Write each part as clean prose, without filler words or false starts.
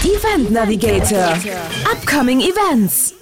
Event Navigator, Upcoming Events.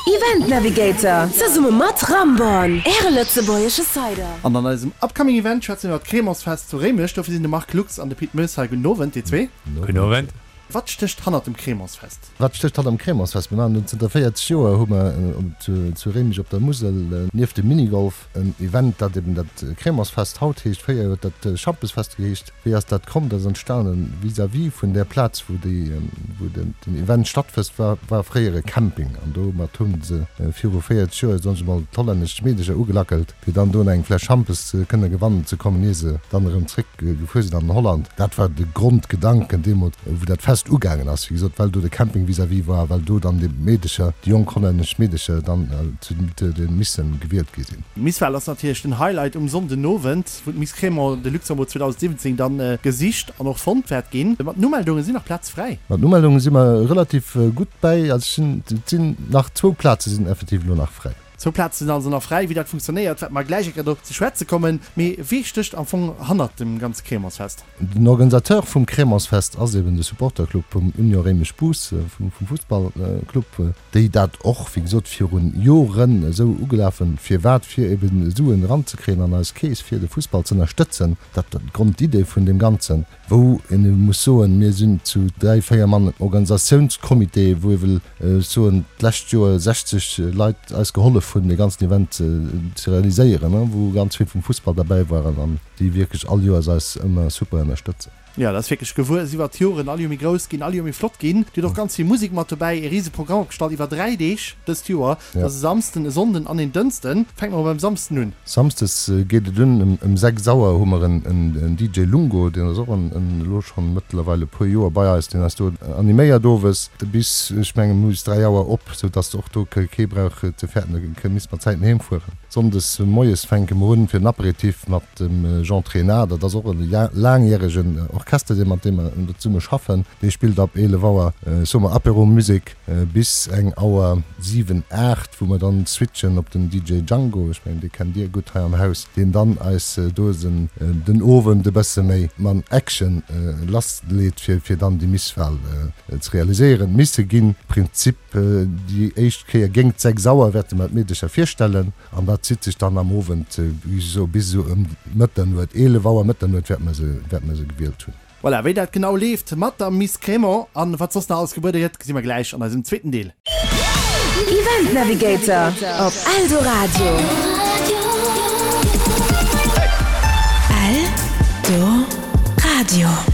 Event Navigator, zesumme mat Ramborn, Äre lëtzebuergesche Cider. An an eisem Upcoming Event schwätze mir iwwer d'Crémantsfest zu Réimech. Dofir sinn de Marc Lux an de Pit Moes hei. Gudden Owend, dir zwee. Gudden Owend. Wat stécht hannert dem Crémantsfest? Wat stécht hannert dem Crémantsfest? Mir maachen dat zënter 40 Joer, hu mer zu Réimech op der Musel nieft dem Minigolf en Event, dat eben dat Crémantsfest haut heescht. Fréier huet dat Schampesfest geheescht. Wéi ass dat komm? Dat ass entstanen vis-à-vis vun där Plaz, wou déi, wou den Event stattfësst, war, war fréier e Camping. An domat hu se viru 40 Joer, soen ech emol, d'hollännesch Meedecher ugelackelt, fir dann do eng Fläsch Schampes kënne gewannen ze kommen, ier se dann erëm zréck gefuer sinn an Holland. Dat war de Grondgedanken deemools, wou dat Fest ugaangen ass. Wéi gesot, well do de Camping vis-à-vis war, well do dann déi Meedecher, déi jonk hollännesch Meedecher dann zu de Missen gewielt gi sinn. D'Misswahl ass natierlech den Highlight um Sonndenowend. wou d'Miss Crémant de Luxembourg 2017 dann gesicht an och fonnt wäert ginn. Mat den Umeldungen sinn nach Plätz fräi. Mat den Umeldungen si mer relativ gutt bäi. Also et sinn nach zwou Plaze sinn effektiv elo nach fräi. Zwou Plaze sinn also nach fräi. Wéi dat funktionéiert, wäerte mer gläich eng Kéier drop ze schwätze kommen. Mee wee stécht am Fong hannert dem ganze Crémantsfest? Den Organisateur vum Crémantsfest ass eben de Supporterclub vum Union Réimech-Bous, vum Fussballclub. déi dat och, wéi gesot, virun Joren esou ugelaf hunn. Firwat? Fir eben Suen eranzekréien an eis Keess, fir de Fussball z'ënnerstëtzen. Dat war d'Grondidee vun deem Ganzen. Wou een ebe muss soen, mir sinn zu dräi, véier Mann Organisatiounscomité, wou ewell, ech soen, d'lescht Joer 60 Leit eis gehollef hunn, dee ganzen Event ze realiséieren, wou ganz vill vum Fussball derbäi waren an déi wierklech all Joers eis ëmmer super ënnerstëtzen. Jo, dat ass wierklech gewuess iwwert d'Joren, all Joer méi grouss ginn, all Joer méi flott ginn. Dir hutt och ganz vill Musek mat dobäi, ee rise Programm opgestallt iwwer 3 Deeg dëst Joer. Dat ass e Samsden, e Sonnden an een Dënschden. Fänke mer mol beim Samsden un. Samsdes geet et un, ëm 6 Auer hu mer en DJ Lungo, deen ass och elo schonn mëttlerweil e puer Joer bei eis, deen eis do animéiert owes bis, ech mengen, bis 3 Auer op, sou dass och do kee brauch ze fäerten, e misst mat Zäiten heem fueren. Sonndes moies fänke mer un fir den Aperitif mat dem Jean Trenard. Dat ass och e laangjäregen Orchester, dee mat deem mer zesumme schaffen. Dee spillt ab 11 Auer, soe mer, Apéro-Musek bis eng Auer 7, 8, wou mer dann switchen op den DJ Django, ech mengen, dee kennt Dir gutt hei am Haus, deen dann eis do den Owend e bësse méi man Action lassleet, fir dann déi Misswahl ze realiséieren. D'Misse ginn Prinzip. Déi éischt Kéier géingt 6 Auer wäerte mer d'Meedecher virstellen an dat zitt sech dann am Owend, wéi ech soe, bis esou ëm Mëtternuet, 11 Auer, Mëtternuet wäerte mer se, wäerte mer se gewielt hunn. Voilà, wéi dat genau leeft mat der Miss Crémant an wat soss nach alles gebuede gëtt, gesi mer gläich an eisem zweeten Deel. Event Navigator op Eldoradio. Eldoradio.